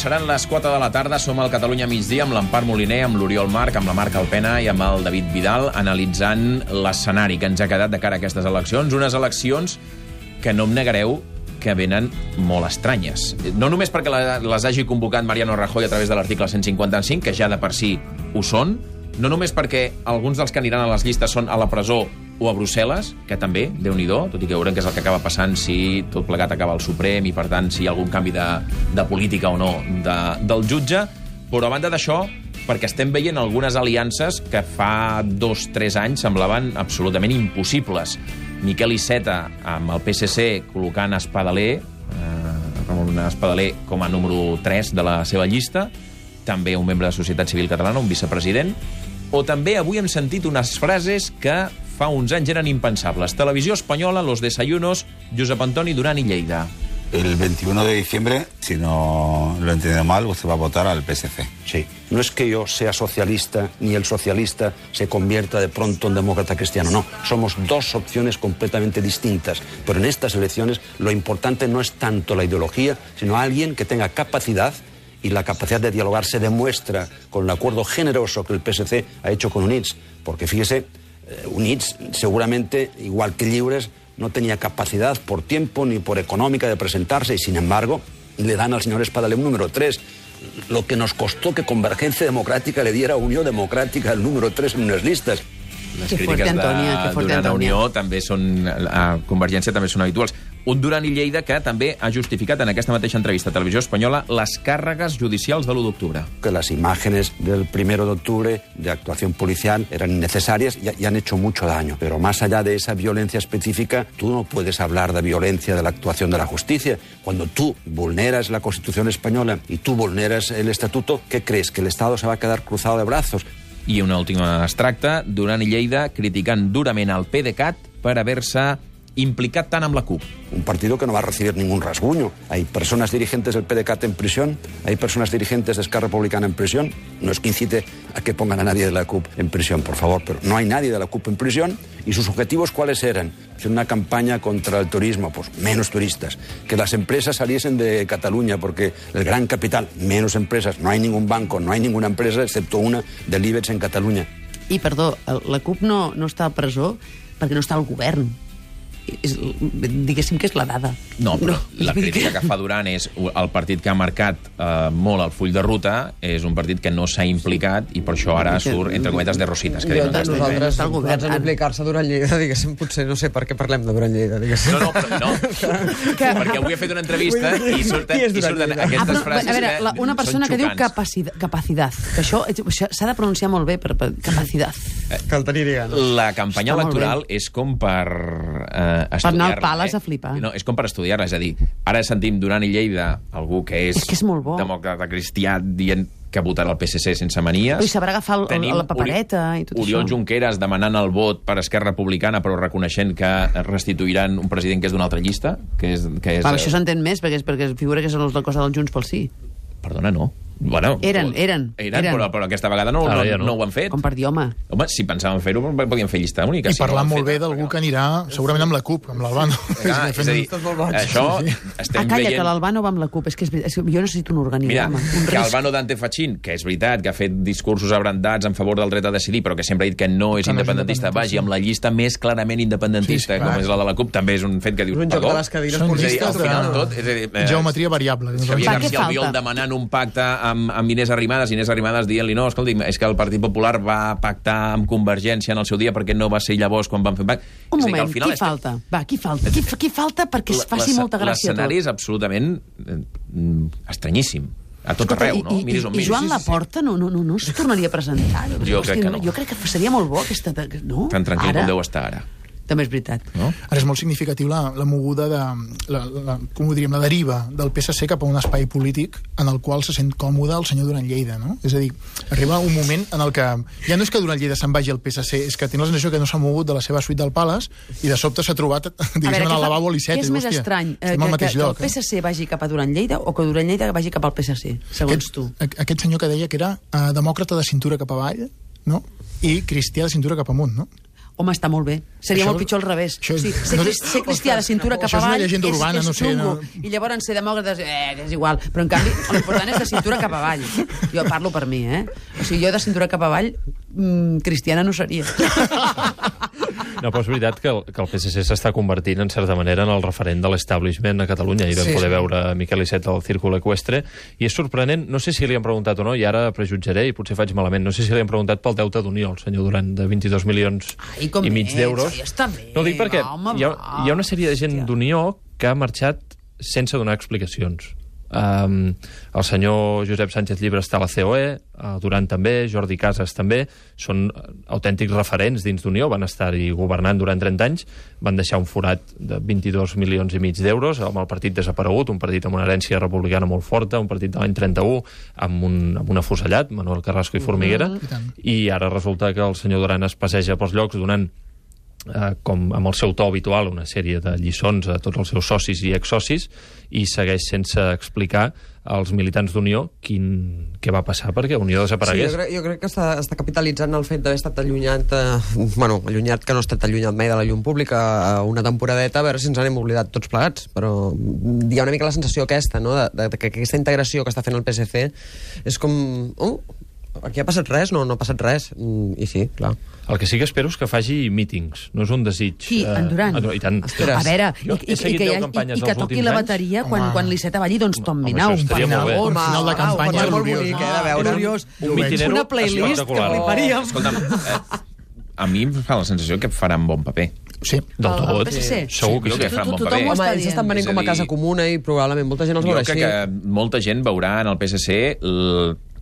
seran les 4 de la tarda. Som al Catalunya migdia amb l'Empar Moliner, amb l'Oriol Marc, amb la Marc Alpena i amb el David Vidal, analitzant l'escenari que ens ha quedat de cara a aquestes eleccions. Unes eleccions que no em negareu que venen molt estranyes. No només perquè les hagi convocat Mariano Rajoy a través de l'article 155, que ja de per si ho són, no només perquè alguns dels que aniran a les llistes són a la presó o a Brussel·les, que també, Déu-n'hi-do, tot i que veurem què és el que acaba passant si tot plegat acaba al Suprem i, per tant, si hi ha algun canvi de política o no del jutge, però a banda d'això, perquè estem veient algunes aliances que fa 2-3 anys semblaven absolutament impossibles. Miquel Iceta amb el PSC col·locant Ramon Espadaler com a número 3 de la seva llista, també un membre de Societat Civil Catalana, un vicepresident, o també avui hem sentit unes frases que fa uns anys eren impensables. Televisió espanyola, los desayunos, Josep Antoni Duran i Lleida. El 21 de diciembre, si no lo he entendido mal, usted va a votar al PSC. Sí. No es que yo sea socialista, ni el socialista se convierta de pronto en demócrata cristiano, no. Somos dos opciones completamente distintas. Pero en estas elecciones lo importante no es tanto la ideología, sino alguien que tenga capacidad, y la capacidad de dialogar se demuestra con el acuerdo generoso que el PSC ha hecho con UNITS. Porque fíjese, UNITS seguramente, igual que Lliures, no tenía capacidad por tiempo ni por económica de presentarse y, sin embargo, le dan al señor Espadaler un número 3. Lo que nos costó que Convergencia Democrática le diera a Unió Democràtica el número 3 en unes listes. Les crítiques de Duran a Unió també són, a Convergència també són habituals. Un Duran i Lleida que també ha justificat en aquesta mateixa entrevista a Televisió Espanyola les càrregues judicials de l'1 d'octubre. Que las imágenes del 1 de octubre de actuación policial eran innecesarias y han hecho mucho daño. Pero más allá de esa violencia específica, tú no puedes hablar de violencia de la actuación de la justicia. Cuando tú vulneras la Constitución española y tú vulneras el Estatuto, ¿qué crees? ¿Que el Estado se va a quedar cruzado de brazos? I una última extracte, Duran i Lleida criticant durament el PDeCAT per haver-se implicat tant amb la CUP. Un partido que no va a recibir ningún rasguño. Hay personas dirigentes del PDeCAT en prisión, hay personas dirigentes de Esquerra Republicana en prisión. No es que incite a que pongan a nadie de la CUP en prisión, por favor, pero no hay nadie de la CUP en prisión. ¿Y sus objetivos cuáles eran? Hacer una campaña contra el turismo, pues menos turistas. Que las empresas saliesen de Cataluña, porque el gran capital, menos empresas. No hay ningún banco, no hay ninguna empresa, excepto una del IBEX en Catalunya. I, perdó, la CUP no està a presó perquè no està al govern. Diguéssim que és la dada. No, però la crítica que fa Duran és el partit que ha marcat molt el full de ruta, és un partit que no s'ha implicat i per això ara surt, entre cometes, de rositas. Que nosaltres en implicar-se a Duran Lleida, diguéssim, potser no sé per què parlem de Duran Lleida, diguéssim. No, perquè avui he fet una entrevista i surten aquestes frases. A veure, una persona que diu capacitat, que això s'ha de pronunciar molt bé per capacitat. Cal tenir ganes. La campanya electoral és com per per anar al Pales a flipar. No, és com per estudiar-la, és a dir, ara sentim Duran i Lleida, algú que és demòcrata cristià, dient que votarà el PSC sense manies. I sabrà agafar la papereta i tot això. Oriol Junqueras demanant el vot per Esquerra Republicana, però reconeixent que restituiran un president que és d'una altra llista. Això s'entén més, perquè figura que són els del cos del Junts pel Sí. Perdona, no. Bueno, eren, però aquesta vegada no ho han fet. Com per dir, home, si pensàvem fer-ho, podíem fer llista única. I parlar molt bé d'algú que anirà segurament amb la CUP, amb l'Albano. És a dir, això estem veient... Calla, que l'Albano va amb la CUP. És que jo necessito un organigrama. Mira, que Albano Dante Fachin, que és veritat, que ha fet discursos abrandats en favor del dret a decidir, però que sempre ha dit que no és independentista, vagi amb la llista més clarament independentista, com és la de la CUP, també és un fet que dius, perdó. Geometria variable. Xavier García Albiol demanant un pacte amb Inés Arrimadas dient-li, no, escolti, és que el Partit Popular va pactar amb Convergència en el seu dia perquè no va ser llavors quan van fer pacte. Un moment, qui falta? Va, qui falta? Qui falta perquè es faci molta gràcia tot? L'escenari és absolutament estranyíssim. A tot arreu, no? I Joan Laporta no es tornaria a presentar? Jo crec que no. Jo crec que seria molt bo aquesta... Tan tranquil com deu estar ara. També és veritat. No? Ara és molt significatiu la moguda com ho diríem, la deriva del PSC cap a un espai polític en el qual se sent còmode el senyor Duran Lleida, no? És a dir, arriba un moment en el que ja no és que Duran Lleida se'n vagi al PSC, és que té la sensació que no s'ha mogut de la seva suite del Palace i de sobte s'ha trobat, diguéssim, en el lavabo a l'Iceta. Què és més estrany? Que el PSC vagi cap a Duran Lleida o que Duran Lleida vagi cap al PSC, segons tu? Aquest senyor que deia que era demòcrata de cintura cap avall, no? I cristià de cintura cap amunt, no? Home, està molt bé. Seria molt pitjor al revés. Ser cristià de cintura cap avall és xungo. I llavors ser demòcrates és igual. Però, en canvi, l'important és de cintura cap avall. Jo parlo per mi, O sigui, jo de cintura cap avall cristiana no seria. No, però és veritat que el PSC s'està convertint, en certa manera, en el referent de l'establishment a Catalunya. Ahir vam poder veure Miquel Iceta al Círculo Eqüestre, i és sorprenent, no sé si li han preguntat o no, i ara prejutjaré, i potser faig malament, no sé si li han preguntat pel deute d'Unió, el senyor Duran, de 22 milions i mig d'euros. No ho dic perquè hi ha una sèrie de gent d'Unió que ha marxat sense donar explicacions. El senyor Josep Sánchez Llibre està a la COE, Duran també, Jordi Casas també, són autèntics referents dins d'Unió, van estar-hi governant durant 30 anys, van deixar un forat de 22 milions i mig d'euros amb el partit desaparegut, un partit amb una herència republicana molt forta, un partit de l'any 31 amb un afusellat, Manuel Carrasco i Formiguera, i ara resulta que el senyor Duran es passeja pels llocs donant com amb el seu to habitual, una sèrie de lliçons a tots els seus socis i exsocis, i segueix sense explicar als militants d'Unió què va passar perquè Unió desaparegués. Sí, jo crec que està capitalitzant el fet d'haver estat allunyat, allunyat que no ha estat allunyat mai de la llum pública una temporadeta, a veure si ens n'hem oblidat tots plegats, però hi ha una mica la sensació aquesta, no?, de que aquesta integració que està fent el PSC és com... aquí ha passat res? No ha passat res. I sí, clar. El que sí que espero és que faci mítings, no és un desig. Sí, en Duran. I tant. A veure, i que toqui la bateria quan l'Iceta balli, doncs tombi nau. Un final de campanya molt bonic, de veure. Un mitinero una playlist que fliparíem. Escolta'm, a mi em fa la sensació que faran bon paper. Sí. Del tot. Segur que faran bon paper. Home, ells estan venint com a casa comuna i probablement molta gent els veurà així. Jo crec que molta gent veurà en el PSC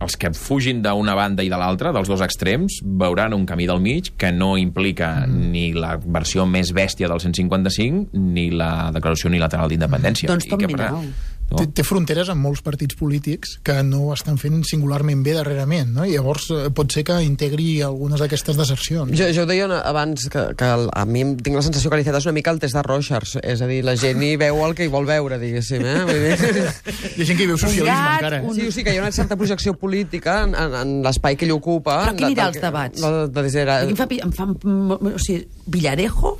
els que fugin d'una banda i de l'altra, dels dos extrems, veuran un camí del mig que no implica ni la versió més bèstia del 155 ni la declaració unilateral d'independència. Doncs tombi nau. Té fronteres amb molts partits polítics que no ho estan fent singularment bé darrerament, no? I llavors pot ser que integri algunes d'aquestes desercions. Jo deia abans que a mi tinc la sensació que l'Iceta és una mica el test de Rorschach, és a dir, la gent hi veu el que hi vol veure, diguéssim. Hi ha gent que hi veu socialisme encara. Sí, o sigui que hi ha una certa projecció política en l'espai que ell ocupa. Però qui anirà als debats? Em fa... O sigui, Villarejo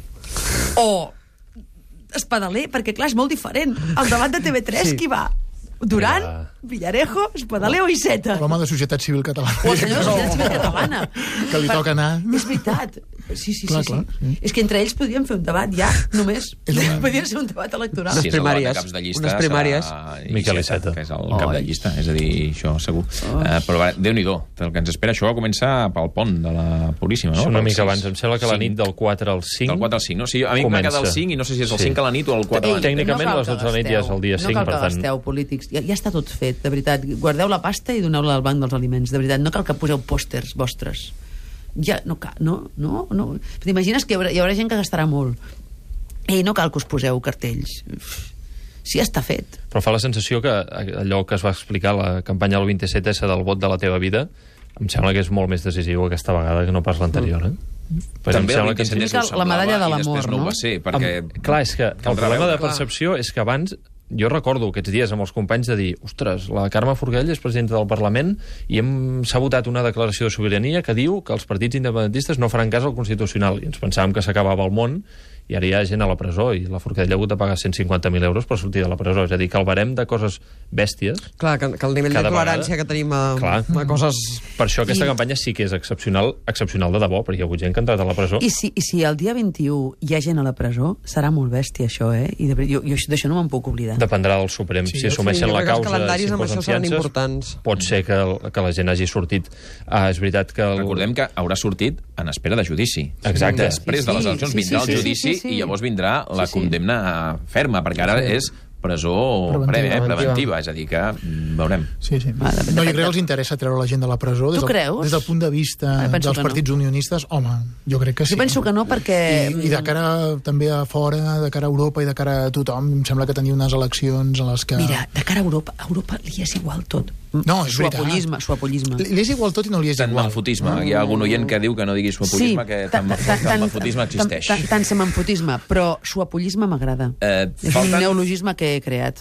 o... Espadaler, perquè clar, és molt diferent. El debat de TV3, qui va? Duran, Villarejo, Espadaler o Iceta? L'home de Societat Civil Catalana. O el senyor de Societat Civil Catalana. Que li toca anar. És veritat. Sí. Clar. És que entre ells podríem fer un debat ja, només. Podria ser un debat electoral. Sí, és el debat de caps de llista. Unes primàries. Miquel Iceta. Que és el cap de llista, és a dir, això segur. Però Déu-n'hi-do, el que ens espera. Això va començar pel pont de la Puríssima, no? Una mica abans, em sembla que la nit del 4 al 5... Del 4 al 5, no? Sí, a mi m'ha quedat el 5 i no sé si és el 5 a la nit o el 4 a la nit. Tècnicament, a les 12 de la nit ja és el dia 5, per tant... No cal que gasteu polítics. Ja està tot fet, de veritat. Guardeu la pasta i doneu-la al banc dels aliments, de veritat. No cal que poseu pòsters vostres. Ja, no cal, no. T'imagines que hi haurà gent que gastarà molt. No cal que us poseu cartells. Sí, està fet. Però fa la sensació que allò que es va explicar a la campanya del 27S del vot de la teva vida, em sembla que és molt més decisiu aquesta vegada que no pas l'anterior, També el 27S la medalla de l'amor, i després no ho va ser, perquè... Clar, és que el problema de percepció és que abans... Jo recordo aquests dies amb els companys de dir ostres, la Carme Forcadell és presidenta del Parlament i s'ha votat una declaració de sobirania que diu que els partits independentistes no faran cas al Constitucional. I ens pensàvem que s'acabava el món i ara hi ha gent a la presó i la Forcadell ha hagut de pagar 150.000 euros per sortir de la presó. És a dir, que el barem de coses bèsties... Clar, que el nivell de tolerància que tenim a coses... Per això aquesta campanya sí que és excepcional de debò, perquè hi ha hagut gent que ha entrat a la presó. I si el dia 21 hi ha gent a la presó, serà molt bèstia, això, I jo d'això no me'n puc oblidar. Dependrà del Suprem. Si assumeixen la causa, si imposen fiances, pot ser que la gent hagi sortit. És veritat que... Recordem que haurà sortit en espera de judici. Exacte. Després de les eleccions vindrà el judici i llavors vindrà la condemna ferma, perquè ara és presó preventiva, és a dir, que veurem. Sí. No, jo crec que els interessa treure la gent de la presó des del punt de vista dels partits unionistes. Home, jo crec que sí. Jo penso que no, perquè... I de cara també a fora, de cara a Europa i de cara a tothom, em sembla que tenia unes eleccions en les que... Mira, de cara a Europa li és igual tot. No, és veritat. Suapollisme. Li és igual tot i no li és igual. Tant manfotisme. Hi ha algun oient que diu que no digui suapollisme, que tant manfotisme existeix. Tant manfotisme, però suapollisme m'agrada. És un neologisme que he creat.